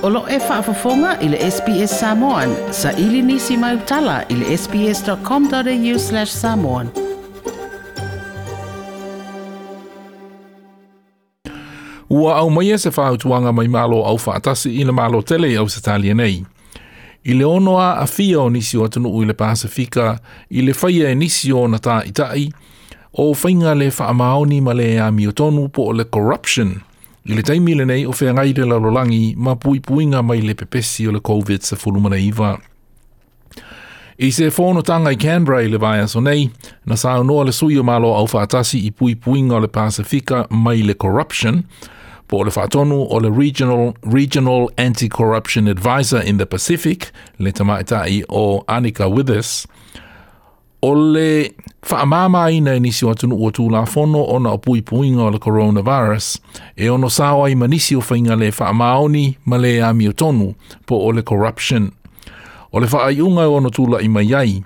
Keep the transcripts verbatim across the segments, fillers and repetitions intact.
O lo e faafofoga i le S B S Samoan, sa ili nisi mai utala i le S B S dot com dot A U slash samoan. Ua aumaia se fautuaga mai Malo Aufaatasi i le Malo tele i Ausetalia nei i le ono aafia o nisi o atunuu i le Pasifika i le faia e nisi o ona tāita'i o faiga le faamaoni ma le amiotonu po o le corruption i le taimi lenei o feagai le lalolagi ma puipuiga mai le pepesi o le COVID nineteen. I se fonotaga i Canberra i le vaiaso nei, na saunoa le sui o Malo Aufaatasi i puipuiga o le Pasifika mai le corruption, po o le faatonu o le Regional, Regional Anti-Corruption Advisor in the Pacific, le tamaitai o Anika Withers, o le faamamaina e nisi o atunuu o tulafono ona o puipuiga o le coronavirus e ono sao ai ma nisi o faiga le faamaoni ma le amiotonu po o le corruption. O le faaiuga e ono tula'i mai ai,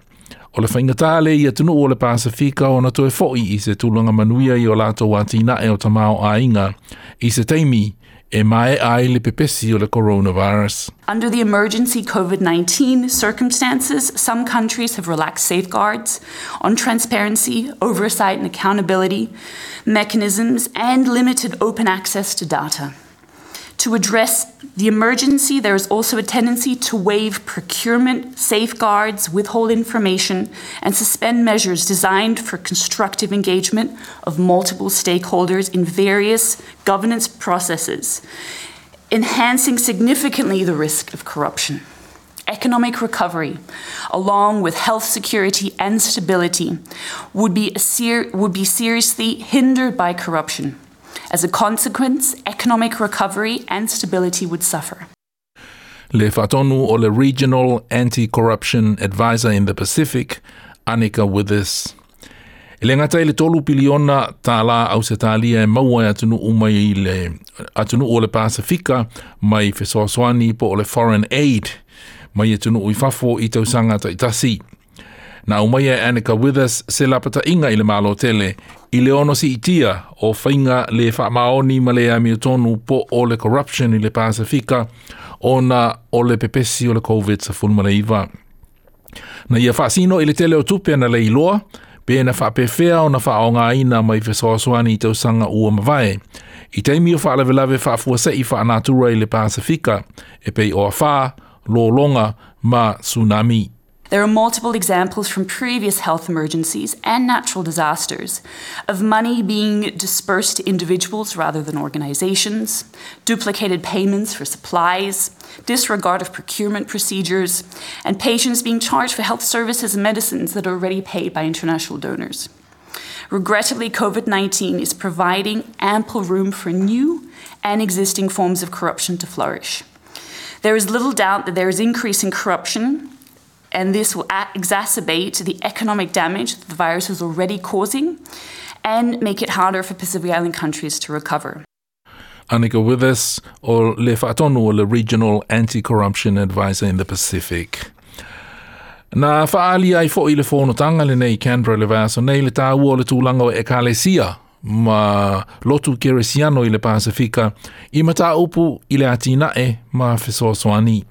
o le faigata lea i atunuu o le Pasifika ona toe fo'i i se tulaga manuia i o latou atinae o tamaoaiga i se taimi e maea ai le pepesi o le coronavirus. Under the emergency COVID nineteen circumstances, some countries have relaxed safeguards on transparency, oversight, and accountability mechanisms and limited open access to data. To address the emergency, there is also a tendency to waive procurement safeguards, withhold information, and suspend measures designed for constructive engagement of multiple stakeholders in various governance processes, enhancing significantly the risk of corruption. Economic recovery, along with health security and stability, would be, ser- would be seriously hindered by corruption. As a consequence, economic recovery and stability would suffer. Le faatonu o le Regional Anti-Corruption Advisor in the Pacific, Anika Withers. E le gata i le tolu piliona tālā Ausetalia e maua e atunuu mai i le atunuu o le Pasifika mai fesoasoani po o le foreign aid mai atunuu i fafo i tausaga taitasi. Na aumaia e Anika Withers se lapata'iga i le Malo tele i le ono si'itia o faiga le faamaoni ma le amiotonu po o le corruption i le Pasifika ona o le pepesi o le COVID nineteen. Na ia faasino i le tele o tupe na le iloa, pe na faapefea ona faaaogaina mai fesoasoani i tausaga ua mavae i taimi o faalavelave faafuase'i faanatura i le Pasifika e pei o afā, lologa ma tsunami. There are multiple examples from previous health emergencies and natural disasters of money being dispersed to individuals rather than organizations, duplicated payments for supplies, disregard of procurement procedures, and patients being charged for health services and medicines that are already paid by international donors. Regrettably, COVID nineteen is providing ample room for new and existing forms of corruption to flourish. There is little doubt that there is increasing corruption, and this will exacerbate the economic damage that the virus is already causing and make it harder for Pacific Island countries to recover. Anika Withers o le faatonu o le Regional Anti-Corruption Advisor in the Pacific. Na faaali ai fo'i le fonotaga lenei Canberra le vaiaso nei le tāua o le tulaga o ekalesia ma lotu keresiano i le Pasifika i mataupu i le atinae ma fesoasoani.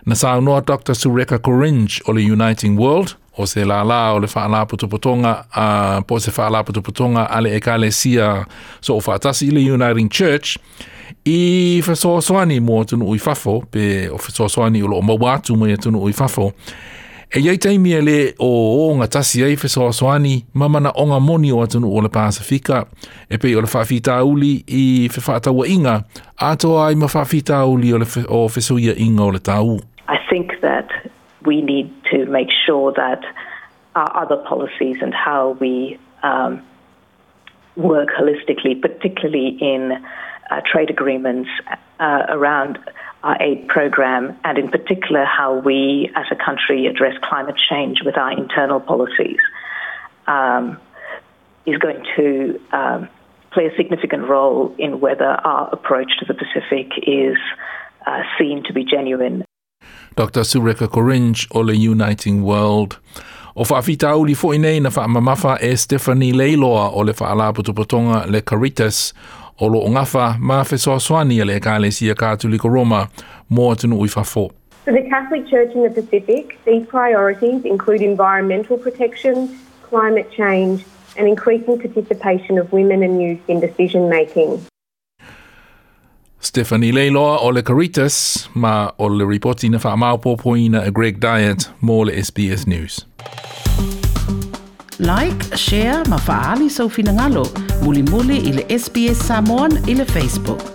Na saunoa Doctor Sureka Goringe o le Uniting World, o se lālā o le faalapotopotoga uh, po se faalapotopotoga a le ekalesia so o faatasi i le Uniting Church i fesoasoani mo atunuu i fafo pe o fesoasoani o loo maua atu mai atunuu i fafo. E iai taimi e le o o gatasi ai fesoasoani ma manaoga moni o atunuu o le Pasifika e pei o le faafitauli i fefaatauaiga atoa ai ma faafitauli o le fe, o fesuiaiga o le tau. I think that we need to make sure that our other policies and how we um, work holistically, particularly in uh, trade agreements uh, around our aid program, and in particular how we as a country address climate change with our internal policies, um, is going to um, play a significant role in whether our approach to the Pacific is uh, seen to be genuine. Doctor Sureka Goringe o le Uniting World. O faafitauli fo'i nei na faamamafa e Stephanie Leiloa o le faalapotopotoga le Caritas. O loo gafa ma fesoasoani a le Ekalesia Katoliko Roma mo atunuu i fafo. For the Catholic Church in the Pacific, these priorities include environmental protection, climate change, and increasing participation of women and youth in decision making. Stephanie Leiloa o le Caritas ma o le ripoti na faamaopoopoina e Greg Dyett mo le S B S News. Like, share ma faali sau finagalo. Mulimuli i le S B S Samoan i le Facebook.